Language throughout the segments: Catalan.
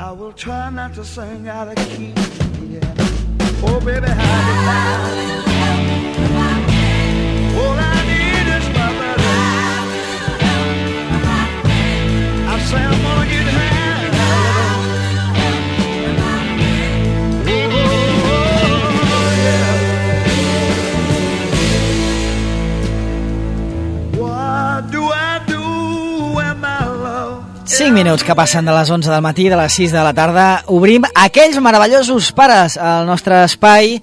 I will try not to sing out of key. Yeah. Oh, baby, how you like? All I need is my brother. I say I'm gonna get high. Oh, yeah. What do I do when my love... 5 minuts que passen de les 11 del matí, de les 6 de la tarda. Obrim aquells meravellosos pares al nostre espai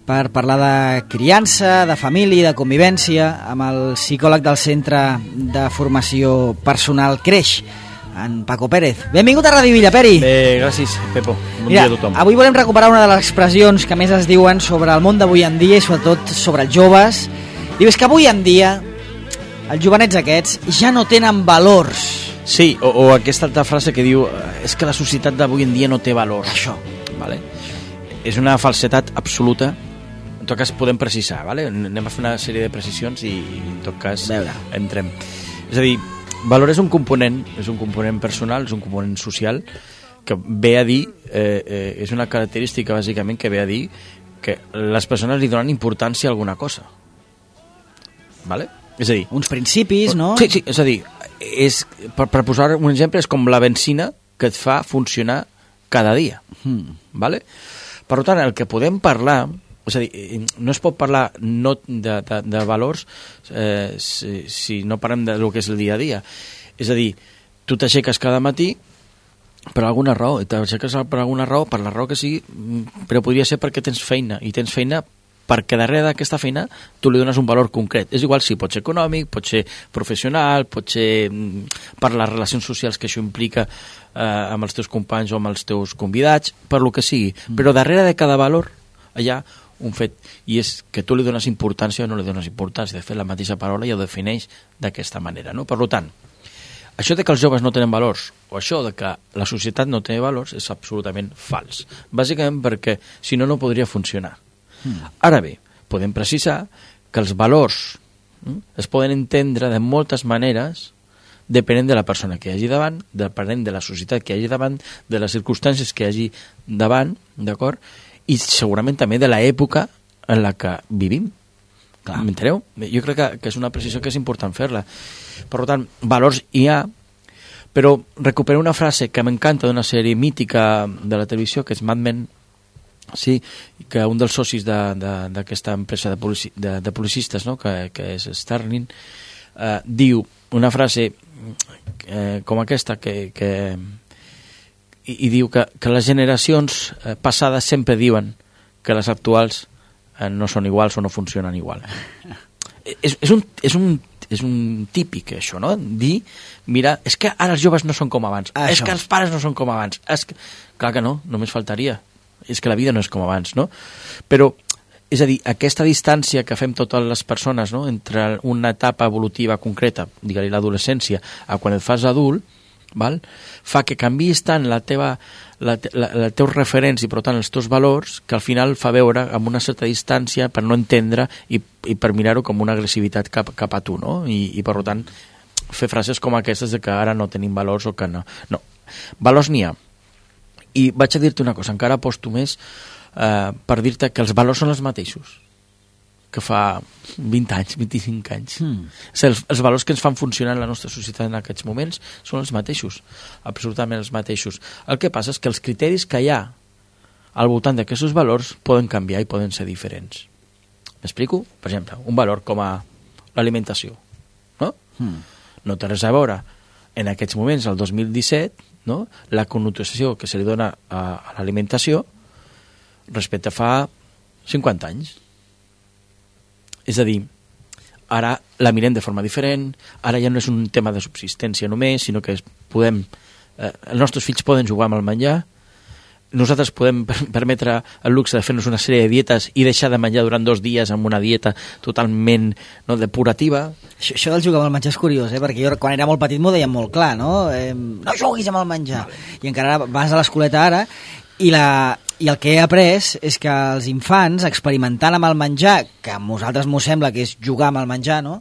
per parlar de criança, de família, de convivència, amb el psicòleg del Centre de Formació Personal Creix, en Paco Pérez. Benvingut a Ràdio Villa, Peri. Bé, gràcies, Pepo. Bon Mira, dia a tothom. avui volem recuperar una de les expressions que més es diuen sobre el món d'avui en dia i sobretot sobre els joves. Diu, és que avui en dia els jovenets aquests ja no tenen valors. Sí, o aquesta altra frase que diu és que la societat d'avui en dia no té valors. Això. Vale? És una falsetat absoluta. En tot cas podem precisar, vale? Anem a fer una sèrie de precisions i en tot cas entrem. És a dir, valor és un component personal, és un component social que ve a dir, és una característica bàsicament que ve a dir que les persones li donen importància a alguna cosa. Vale? És a dir, uns principis, no? Sí, és a dir, per posar un exemple, és com la benzina que et fa funcionar cada dia. Vale? Per tant, el que podem parlar, és a dir, no es pot parlar no de valors si no parlem del que és el dia a dia. És a dir, tu t'aixeques cada matí per alguna raó, i t'aixeques per alguna raó, per la raó que sigui, però podria ser perquè tens feina, i tens feina perquè darrere d'aquesta feina tu li dones un valor concret. És igual si pot ser econòmic, pot ser professional, pot ser per les relacions socials que això implica amb els teus companys o amb els teus convidats, per lo que sigui. Però darrere de cada valor hi ha un fet, i és que tu li dones importància o no li dones importància. De fet, la mateixa paraula ja ho defineix d'aquesta manera, no? Per tant, això de que els joves no tenen valors o això de que la societat no té valors és absolutament fals. Bàsicament perquè, si no, no podria funcionar. Ara bé, podem precisar que els valors es poden entendre de moltes maneres depenent de la persona que hi hagi davant, depenent de la societat que hi hagi davant, de les circumstàncies que hi hagi davant, d'acord? I segurament també de l'època en la que vivim. M'enteneu? Jo crec que és una precisió que és important fer-la. Per tant, valors hi ha, però recupero una frase que m'encanta d'una sèrie mítica de la televisió, que és Mad Men. Sí, que un dels socis d'aquesta empresa de publicistes, no? que és Sterling, diu una frase com aquesta i diu que les generacions passades sempre diuen que les actuals no són iguals o no funcionen igual. És un típic això, no? Dir, mira, és que ara els joves no són com abans, és que els pares no són com abans, clar que no, només faltaria. És que la vida no és com abans, no? Però, és a dir, aquesta distància que fem totes les persones, no?, entre una etapa evolutiva concreta, digue-li l'adolescència, a quan et fas adult, val? Fa que canviïs tant els teus referents i, per tant, els teus valors, que al final fa veure amb una certa distància per no entendre i per mirar-ho com una agressivitat cap a tu, no? I, per tant, fer frases com aquestes de que ara no tenim valors o que no. No, valors n'hi ha. I vaig a dir-te una cosa, encara aposto més per dir-te que els valors són els mateixos que fa 20 anys, 25 anys. Els valors que ens fan funcionar en la nostra societat en aquests moments són els mateixos, absolutament els mateixos. El que passa és que els criteris que hi ha al voltant d'aquests valors poden canviar i poden ser diferents. M'explico? Per exemple, un valor com a l'alimentació, no? No té res a veure en aquests moments, el 2017, no? La connotació que se li dona a l'alimentació respecte a fa 50 anys. És a dir, ara la mirem de forma diferent, ara ja no és un tema de subsistència només, sinó que els nostres fills poden jugar amb el menjar, nosaltres podem permetre el luxe de fer-nos una sèrie de dietes i deixar de menjar durant 2 dies amb una dieta totalment depurativa. Això del jugar amb el menjar és curiós, perquè jo quan era molt petit m'ho deien molt clar, no? No juguis amb el menjar. I encara vas a l'escoleta ara i I el que he après és que els infants, experimentant amb el menjar, que a nosaltres m'ho sembla que és jugar amb el menjar, no?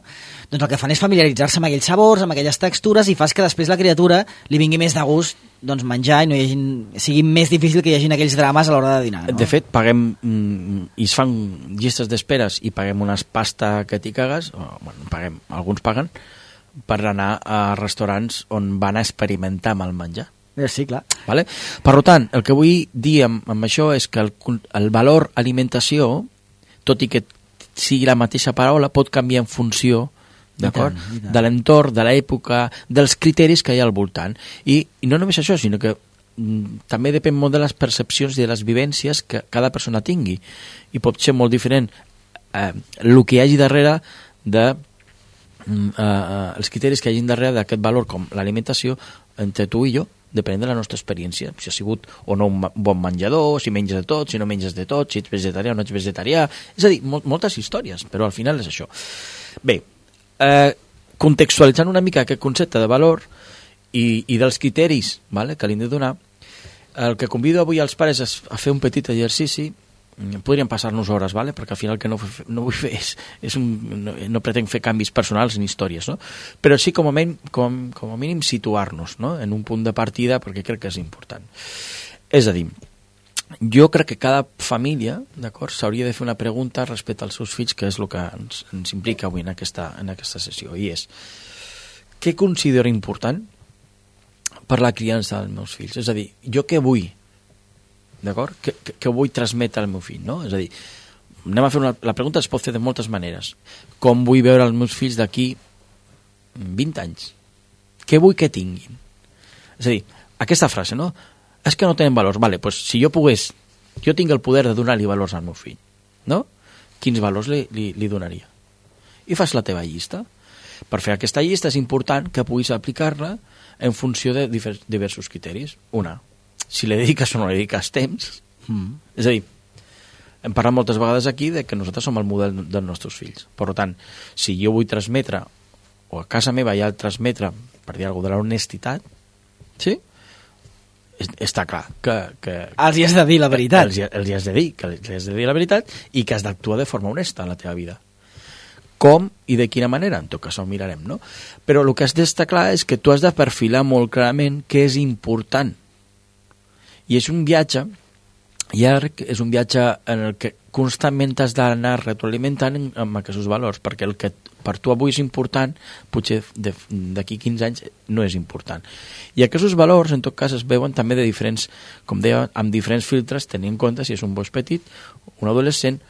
Doncs el que fan és familiaritzar-se amb aquells sabors, amb aquelles textures, i fas que després la criatura li vingui més de gust doncs, menjar i no hi hagi, sigui més difícil que hi hagi aquells drames a l'hora de dinar. No? De fet, paguem, i es fan llistes d'esperes i paguem unes pasta que t'hi cagues, paguem, alguns paguen, per anar a restaurants on van a experimentar amb el menjar. Sí, clar. Vale? Per tant, el que vull dir amb això és que el valor alimentació, tot i que sigui la mateixa paraula, pot canviar en funció d'acord? De l'entorn, de l'època, dels criteris que hi ha al voltant. I no només això, sinó que també depèn molt de les percepcions i de les vivències que cada persona tingui. I pot ser molt diferent el que hi hagi darrere de els criteris que hi hagi darrere d'aquest valor com l'alimentació entre tu i jo, depenent de la nostra experiència, si ha sigut o no un bon menjador, si menges de tot, si no menges de tot, si ets vegetarià o no ets vegetarià, és a dir, moltes històries, però al final és això. Bé, contextualitzant una mica aquest concepte de valor i dels criteris, vale, que li hem de donar, el que convido avui als pares és a fer un petit exercici. Podríem passar-nos hores, vale? Perquè al final el que no vull fer no pretenc fer canvis personals ni històries, no? Però sí com a mínim situar-nos, no? En un punt de partida, perquè crec que és important. És a dir, jo crec que cada família, d'acord, s'hauria de fer una pregunta respecte als seus fills, que és el que ens implica avui en aquesta sessió, i és: què considero important per la criança dels meus fills? És a dir, jo què vull? D'acord? Que vull transmetre al meu fill, no? És a dir, la pregunta es pot fer de moltes maneres. Com vull veure els meus fills d'aquí 20 anys? Què vull que tinguin? És a dir, aquesta frase, no? És que no tenen valors. Vale, doncs si jo tinc el poder de donar-li valors al meu fill, no? Quins valors li donaria? I fas la teva llista. Per fer aquesta llista és important que puguis aplicar-la en funció de diversos criteris. Una, si li dediques o no li dediques temps. És a dir, hem parlat moltes vegades aquí de que nosaltres som el model dels nostres fills. Per tant, si jo vull transmetre, o a casa meva hi ha el transmetre, per dir alguna cosa, de l'honestitat, sí? Està clar que els hi has de dir la veritat. Els hi has de dir la veritat i que has d'actuar de forma honesta en la teva vida. Com i de quina manera? En tot cas ho mirarem, no? Però el que has d'estar clar és que tu has de perfilar molt clarament què és important. I és un viatge llarg, és un viatge en el que constantment has d'anar retroalimentant amb aquests valors, perquè el que per tu avui és important, potser d'aquí 15 anys no és important. I aquests valors, en tot cas, es veuen també de diferents, com deia, amb diferents filtres, tenint en compte si és un gos petit, un adolescent,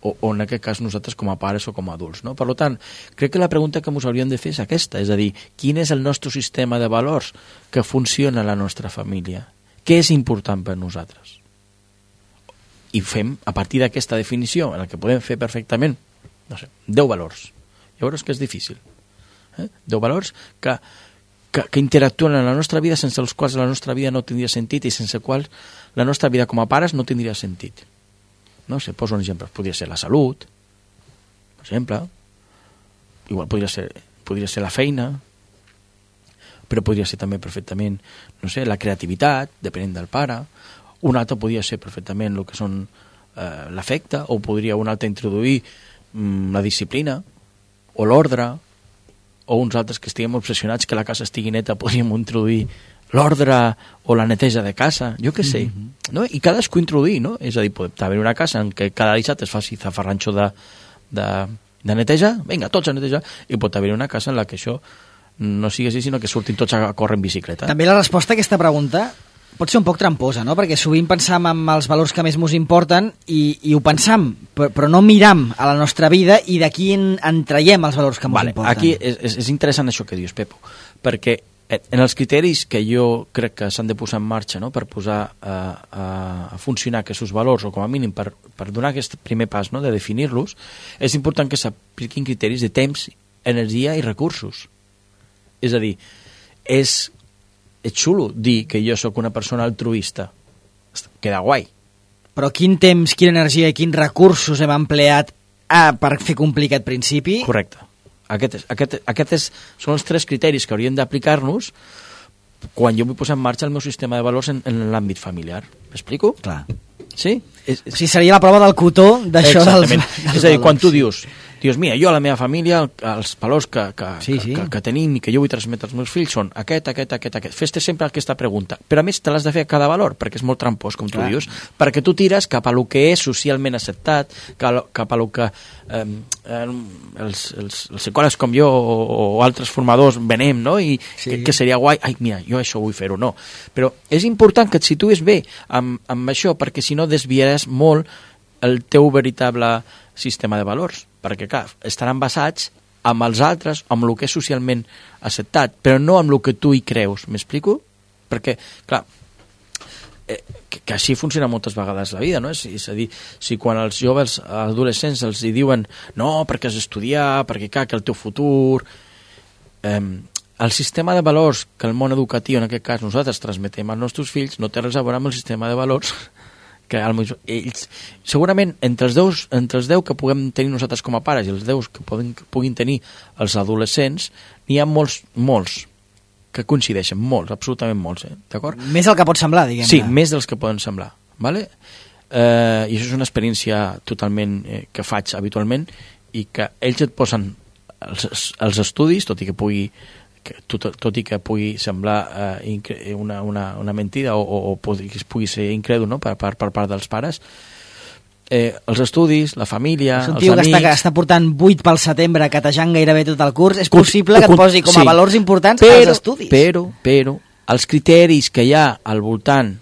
o en aquest cas nosaltres com a pares o com a adults, no? Per tant, crec que la pregunta que ens hauríem de fer és aquesta, és a dir, quin és el nostre sistema de valors que funciona a la nostra família? Què és important per nosaltres? I fem, a partir d'aquesta definició, en la que podem fer perfectament, no sé, 10 valors. Llavors que és difícil. 10 valors que interactuen en la nostra vida, sense els quals la nostra vida no tindria sentit i sense els quals la nostra vida com a pares no tindria sentit. No sé, poso un exemple. Podria ser la salut, per exemple. Igual podria ser la feina, però podria ser també perfectament, no sé, la creativitat, depenent del pare. Un altre podria ser perfectament el que són l'afecte, o podria un altre introduir la disciplina, o l'ordre, o uns altres que estiguem obsessionats que la casa estigui neta, podríem introduir l'ordre o la neteja de casa, jo què sé. No? I cadascú introduir, no? És a dir, pot haver una casa en què cada dissabte es faci zafarranxo de neteja, vinga, tots a netejar, i pot haver una casa en la que això no sigui així, sinó que surtin tots a córrer en bicicleta. També la resposta a aquesta pregunta pot ser un poc tramposa, no? Perquè sovint pensam en els valors que més ens importen i ho pensam, però no miram a la nostra vida i d'aquí en traiem els valors que ens importen. Aquí és interessant això que dius, Pepo, perquè en els criteris que jo crec que s'han de posar en marxa, no? Per posar a funcionar aquests valors, o com a mínim per donar aquest primer pas, no? De definir-los, és important que s'apliquin criteris de temps, energia i recursos. És a dir, és xulo dir que jo sóc una persona altruista. Queda guai. Però quin temps, quina energia i quins recursos hem empleat per fer complir aquest principi? Correcte. Aquests són els 3 criteris que hauríem d'aplicar-nos quan jo vull posar en marxa el meu sistema de valors en l'àmbit familiar. M'explico? Clar. Sí? O sigui, seria la prova del cotó d'això dels És a dir, quan tu dius, mira, jo a la meva família, els valors que tenim i que jo vull transmetre als meus fills són aquest. Fes-te sempre aquesta pregunta. Però a més te l'has de fer a cada valor, perquè és molt trampós, com tu dius, perquè tu tires cap a lo que és socialment acceptat, cap a lo que els psicòlegs com jo o altres formadors venem, no? I que seria guai, mira, jo això vull fer-ho, no. Però és important que et situïs bé amb això, perquè si no desviaràs molt el teu veritable sistema de valors, perquè clar, estaran basats amb els altres, amb el que és socialment acceptat, però no amb el que tu hi creus, m'explico? Perquè, clar, que així funciona moltes vegades la vida, no? És a dir, si quan els joves adolescents els hi diuen no, perquè has d'estudiar, perquè clar, que el teu futur... el sistema de valors que el món educatiu, en aquest cas nosaltres transmetem als nostres fills, no té res a veure amb el sistema de valors que ells, segurament entre els 10 que puguem tenir nosaltres com a pares i els 10 que puguin tenir els adolescents, n'hi ha molts que coincideixen, molts, absolutament molts, d'acord? Més del que pot semblar, diguem-ne. Sí, més dels que poden semblar, ¿vale? I això és una experiència totalment que faig habitualment i que ells et posen els estudis, tot i que pugui semblar una mentida o pugui ser incrèdul, no? per part dels pares, els estudis, la família, els amics... que està portant 8 pel setembre, catejant gairebé tot el curs, és possible que et posi com a valors importants els estudis. Però els criteris que hi ha al voltant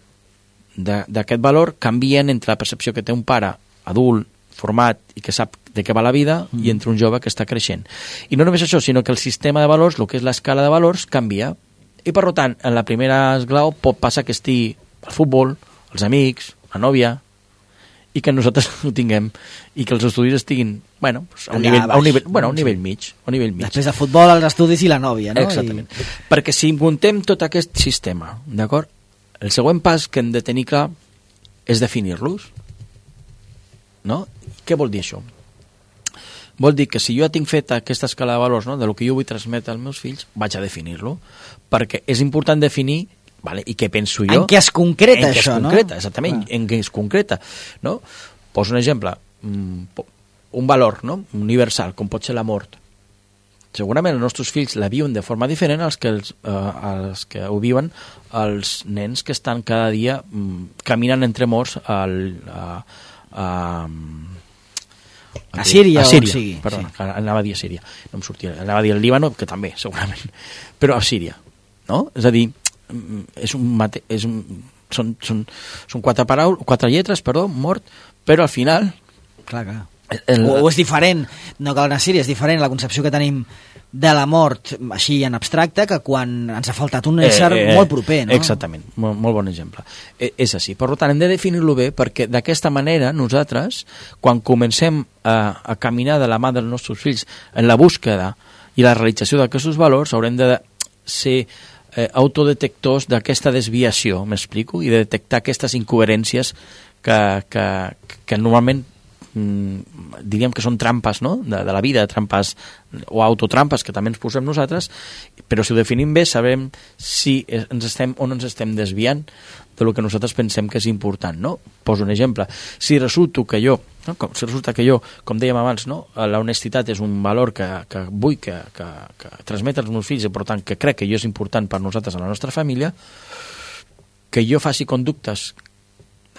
d'aquest valor canvien entre la percepció que té un pare adult, format i que sap de què va la vida i entre un jove que està creixent. I no només això, sinó que el sistema de valors, el que és l'escala de valors, canvia. I per tant, en la primera esglau pot passar que estigui el futbol, els amics, la nòvia, i que nosaltres ho tinguem, i que els estudis estiguin, a un nivell mig. Després del futbol, els estudis i la nòvia, no? Exactament. Perquè si muntem tot aquest sistema, d'acord? El següent pas que hem de tenir clar és definir-los. No? Què vol dir això? Vol dir que si jo ja tinc fet aquesta escala de valors, no? De lo que jo vull transmetre als meus fills, vaig a definir-lo, perquè és important definir, vale, i què penso jo... En què es concreta això, no? Exactament, en què es concreta, no? Poso un exemple, un valor, no? Universal, com pot ser la mort. Segurament els nostres fills la viuen de forma diferent als que ho viuen els nens que estan cada dia caminant entre morts a Síria, o sigui. Perdona, sí. Anava a dir a Síria. No em sortia. Anava a dir al Líbano, que també, segurament. Però a Síria, no? És a dir, són quatre lletres, mort, però al final... Clar. O és diferent, no cal anar a Síria, és diferent la concepció que tenim de la mort així en abstracte que quan ens ha faltat un ésser molt proper, no? Exactament, molt bon exemple. És així. Per tant, hem de definir-lo bé perquè d'aquesta manera nosaltres, quan comencem a caminar de la mà dels nostres fills en la búsqueda i la realització d'aquests valors, haurem de ser autodetectors d'aquesta desviació, m'explico? I de detectar aquestes incoherències que normalment diríem que són trampes, no? de la vida, trampes o autotrampes que també ens posem nosaltres, però si ho definim bé sabem si ens estem desviant de lo que nosaltres pensem que és important, no? Poso un exemple. Si resulta que jo, com dèiem abans, no? La honestitat és un valor que vull que transmetre als meus fills i per tant que crec que jo és important per nosaltres a la nostra família, que jo faci conductes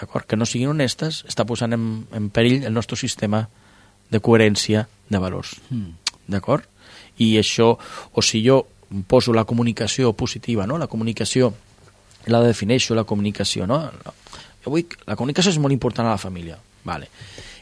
que no siguin honestes, està posant en perill el nostre sistema de coherència de valors. D'acord? I això, o si jo poso la comunicació positiva, no? La comunicació, la defineixo, la comunicació, no? La comunicació és molt important a la família, vale.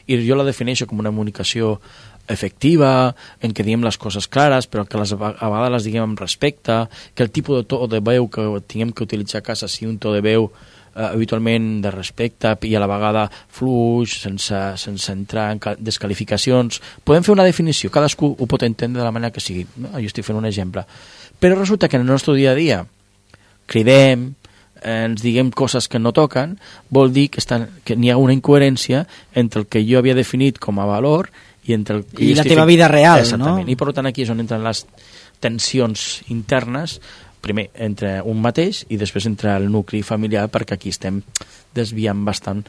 I jo la defineixo com una comunicació efectiva, en què diguem les coses clares, però que a vegades les diguem amb respecte, que el tipus de to de veu que tinguem que utilitzar a casa sigui un to de veu habitualment de respecte i a la vegada fluix, sense entrar en descalificacions. Podem fer una definició, cadascú ho pot entendre de la manera que sigui. Jo estic fent un exemple. Però resulta que en el nostre dia a dia cridem, ens diguem coses que no toquen, vol dir que n'hi ha una incoherència entre el que jo havia definit com a valor i entre el que la teva vida real, exactament. No? I per tant aquí és on entren les tensions internes primer entre un mateix i després entre el nucli familiar, perquè aquí estem desviant bastant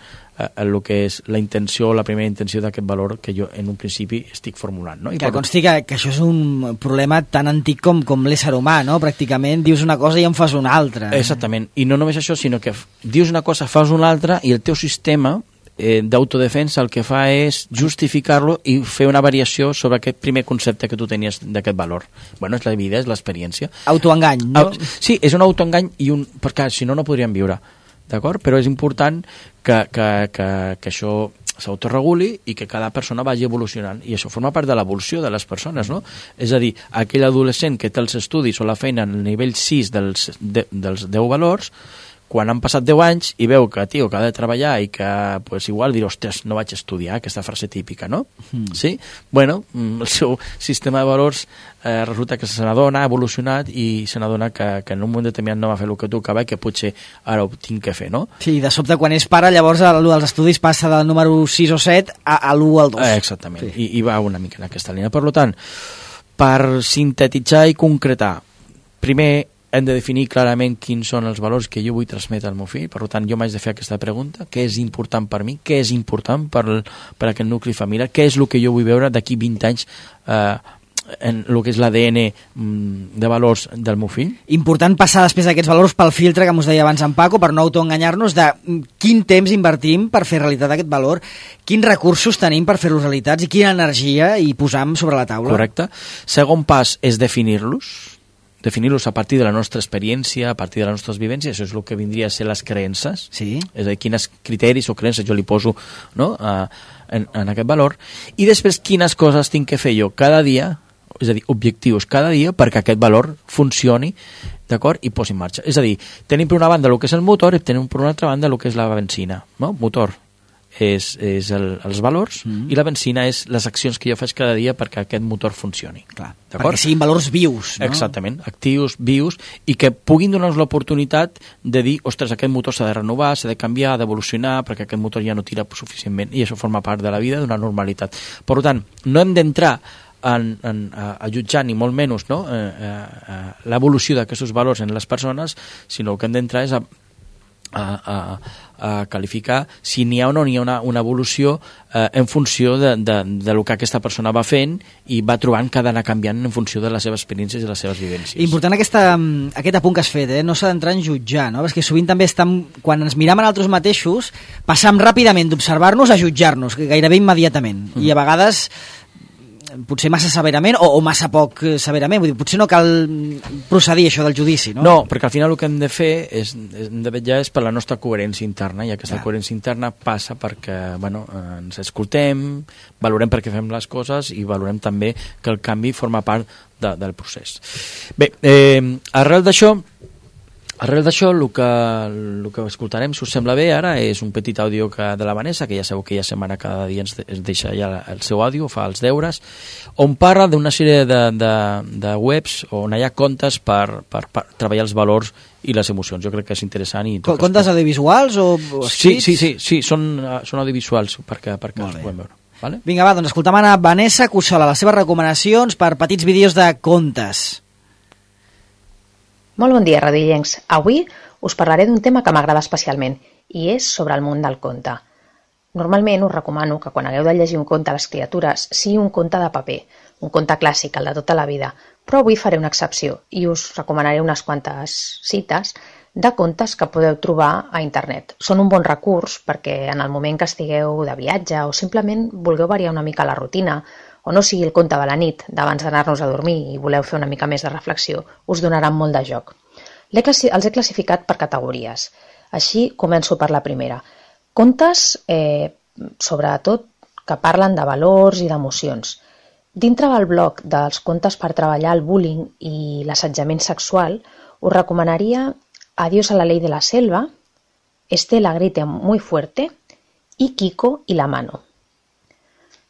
el que és la intenció, la primera intenció d'aquest valor que jo en un principi estic formulant. No? I que consti que això és un problema tan antic com l'ésser humà, no? Pràcticament dius una cosa i en fas una altra. Exactament, i no només això, sinó que dius una cosa, fas una altra, i el teu sistema d'autodefensa el que fa és justificar-lo i fer una variació sobre aquest primer concepte que tu tenies d'aquest valor. Bueno, és la vida, és l'experiència. Autoengany, no? Sí, és un autoengany, perquè si no, no podríem viure, d'acord? Però és important que això s'autoreguli i que cada persona vagi evolucionant, i això forma part de l'evolució de les persones, no? És a dir, aquell adolescent que té els estudis o la feina en el nivell 6 dels 10 valors, quan han passat 10 anys i veu que, tio, que ha de treballar i que, pues, igual dir, ostres, no vaig estudiar, aquesta frase típica, no? Sí? Bueno, el seu sistema de valors resulta que se n'adona, ha evolucionat i se n'adona que en un moment determinat no va fer el que tocava i que potser ara ho tinc que fer, no? Sí, de sobte quan és pare, llavors l'1 dels estudis passa del número 6 o 7 a l'1 al 2. Exactament, sí. I va una mica en aquesta línia. Per tant, per sintetitzar i concretar, primer hem de definir clarament quins són els valors que jo vull transmetre al meu fill. Per tant, jo m'haig de fer aquesta pregunta: què és important per mi? Què és important per aquest nucli familiar? Què és el que jo vull veure d'aquí 20 anys en el que és l'ADN de valors del meu fill? Important passar després d'aquests valors pel filtre que mos deia abans en Paco, per no autoenganyar-nos de quin temps invertim per fer realitat aquest valor, quins recursos tenim per fer-los realitats i quina energia hi posam sobre la taula. Correcte. Segon pas és definir-los a partir de la nostra experiència, a partir de les nostres vivències. Això és el que vindria a ser les creences. Sí. És a dir, quines criteris o creences jo li poso, no, en aquest valor. I després, quines coses tinc que fer jo cada dia, és a dir, objectius cada dia, perquè aquest valor funcioni, d'acord, i posi en marxa. És a dir, tenim per una banda el que és el motor i tenim per una altra banda el que és la benzina. No? Motor és els valors i la benzina és les accions que jo faig cada dia perquè aquest motor funcioni. Clar, perquè siguin valors vius, no? Exactament, actius, vius, i que puguin donar-nos l'oportunitat de dir, ostres, aquest motor s'ha de renovar, s'ha de canviar, d'evolucionar, perquè aquest motor ja no tira suficientment, i això forma part de la vida, d'una normalitat. Per tant, no hem d'entrar a jutjar ni molt menys, no? L'evolució d'aquests valors en les persones, sinó que hem d'entrar és a qualificar si n'hi ha o no n'hi ha una evolució en funció de lo que aquesta persona va fent i va trobant que ha d'anar canviant en funció de les seves experiències i les seves vivències. Important aquest apunt que has fet, no s'ha d'entrar en jutjar, no? Perquè sovint també quan ens miram a nosaltres mateixos, passam ràpidament d'observar-nos a jutjar-nos, gairebé immediatament, i a vegades potser massa severament o massa poc severament. Vull dir, potser no cal procedir això del judici, no? No, perquè al final el que hem de fer hem de vetllar és per la nostra coherència interna, i aquesta coherència interna passa perquè ens escoltem, valorem per què fem les coses i valorem també que el canvi forma part del procés. Bé, arrel d'això, el que escoltarem, si us sembla bé, ara és un petit àudio de la Vanessa, que ja sabeu que setmana cada dia ens deixa ja el seu àudio, fa els deures, on parla d'una sèrie de webs on hi ha comptes per treballar els valors i les emocions. Jo crec que és interessant. Comptes audiovisuals o escrits? Sí, són audiovisuals perquè els puguem veure. Vale? Vinga, va, doncs escoltem a Vanessa Cussola, les seves recomanacions per petits vídeos de contes. Molt bon dia, radioillencs. Avui us parlaré d'un tema que m'agrada especialment, i és sobre el món del conte. Normalment us recomano que quan hagueu de llegir un conte a les criatures sigui un conte de paper, un conte clàssic, el de tota la vida, però avui faré una excepció i us recomanaré unes quantes cites de contes que podeu trobar a internet. Són un bon recurs perquè en el moment que estigueu de viatge o simplement vulgueu variar una mica la rutina, o no sigui el conte de la nit d'abans d'anar-nos a dormir i voleu fer una mica més de reflexió, us donaran molt de joc. Els he classificat per categories. Així començo per la primera. Contes, sobretot, que parlen de valors i d'emocions. Dintre del bloc dels contes per treballar el bullying i l'assetjament sexual, us recomanaria Adiós a la ley de la selva, Estela grita muy fuerte i Kiko i la mano.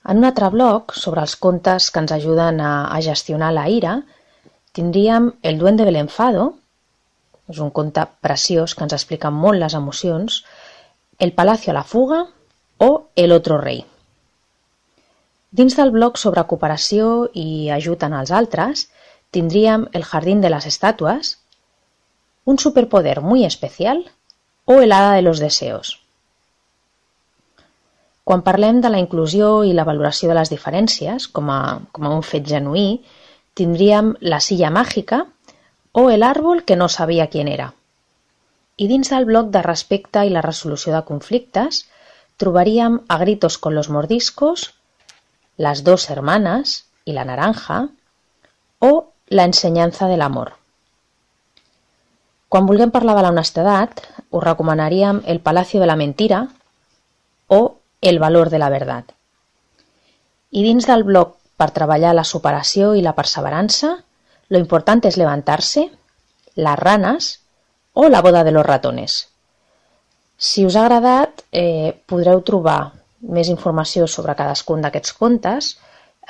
En un altre bloc, sobre els contes que ens ajuden a gestionar la ira, tindríem El duende del enfado, és un conte preciós que ens explica molt les emocions, El palacio a la fuga o El otro rei. Dins del bloc sobre cooperació i ajut en els altres, tindríem El jardín de les estàtues, un superpoder muy especial o el hada de los deseos. Quan parlem de la inclusió i la valoració de les diferències com a un fet genuí, tindríem la silla màgica o el árbol que no sabia quién era. I dins del bloc de respecte i la resolució de conflictes trobaríem a gritos con los mordiscos, las dos hermanas y la naranja o la ensenyanza del amor. Quan vulguem parlar de l'honestedat, us recomanaríem el Palacio de la Mentira o el valor de la verdad. I dins del bloc per treballar la superació i la perseverança, lo importante es levantarse, las ranas o la boda de los ratones. Si us ha agradat, podreu trobar més informació sobre cadascun d'aquests contes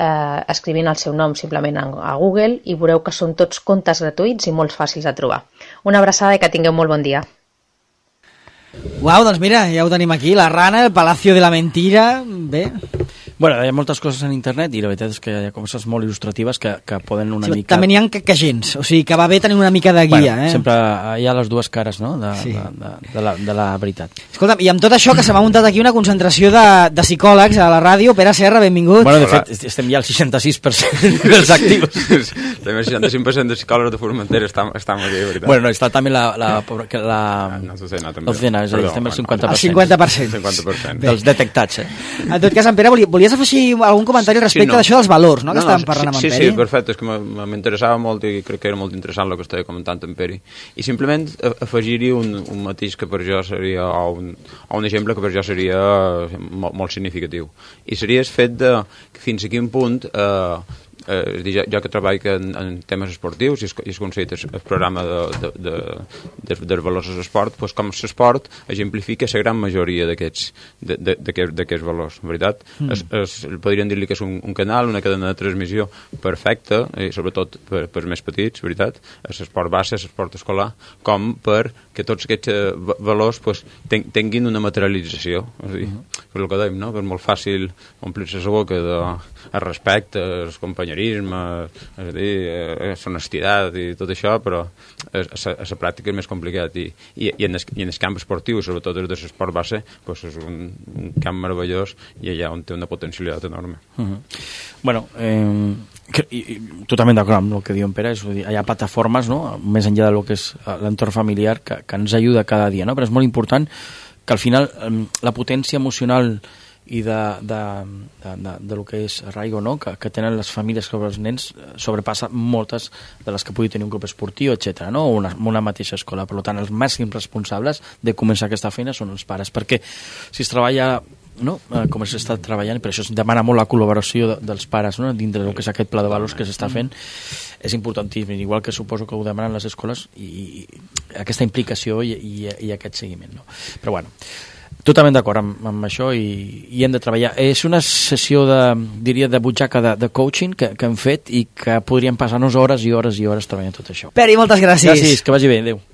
escrivint el seu nom simplement a Google i veureu que són tots contes gratuïts i molt fàcils de trobar. Una abraçada i que tingueu molt bon dia. Uau, doncs mira, ja ho tenim aquí, la rana, el Palacio de la Mentira, bé. Bueno, hi ha moltes coses en internet i la veritat és que hi ha coses molt il·lustratives que poden una mica... També n'hi ha quejents, o sigui que va bé tenir una mica de guia. Sempre hi ha les dues cares, no?, de la veritat. Escolta'm, i amb tot això que se m'ha muntat aquí una concentració de psicòlegs a la ràdio, Pere Serra, benvingut. Bueno, de fet, estem ja al 66% dels actius. Estem al 65% de psicòlegs de Formentera, estem aquí, de veritat. Bueno, no, està també la docena, és a dir, estem al 50%. 50%. Dels detectats, En tot cas, en Pere, volies afegir algun comentari respecte d'això dels valors, no?, que estàvem parlant amb en Pere? Sí, perfecte, és que m'interessava molt i crec que era molt interessant el que estava comentant en Pere. I simplement afegir-hi un matís que per jo seria, o un exemple que per jo seria molt significatiu. I seria el fet de fins a quin punt... jo que treballo en temes esportius i es considera el programa dels valors de l'esport, doncs com l'esport exemplifica la gran majoria d'aquests valors, veritat? Podríem dir-li que és un canal, una cadena de transmissió perfecta, i sobretot per més petits, veritat? L'esport base, l'esport escolar, com per que tots aquests valors tinguin una materialització. Per el que dèiem, no? És molt fàcil omplir-se la boca de respecte, el companyerisme, és a dir, l'honestitat i tot això, però a la pràctica és més complicat. I en el camp esportiu, sobretot des de l'esport base, és un camp meravellós i allà on té una potencialitat enorme. Bueno, totalment d'acord amb el que diu en Pere, hi ha plataformes, no?, més enllà del que és l'entorn familiar, que ens ajuda cada dia, no? Però és molt important que al final la potència emocional i de lo que és arraigo, no?, que tenen les famílies sobre els nens sobrepassa moltes de les que pugui tenir un grup esportiu, etc., no?, o una mateixa escola. Per tant, els màxims responsables de començar aquesta feina són els pares, perquè si es treballa, no?, com s'està treballant, i per això es demana molt la col·laboració dels pares, no?, dintre del que és aquest pla de valors que s'està fent, és importantíssim, igual que suposo que ho demanen les escoles, i aquesta implicació i aquest seguiment, no? Però bueno, totalment d'acord amb això i hem de treballar. És una sessió diria de butxaca de coaching que hem fet i que podríem passar-nos hores i hores i hores treballant tot això. Pere, moltes gràcies. Gràcies, que vagi bé, adéu.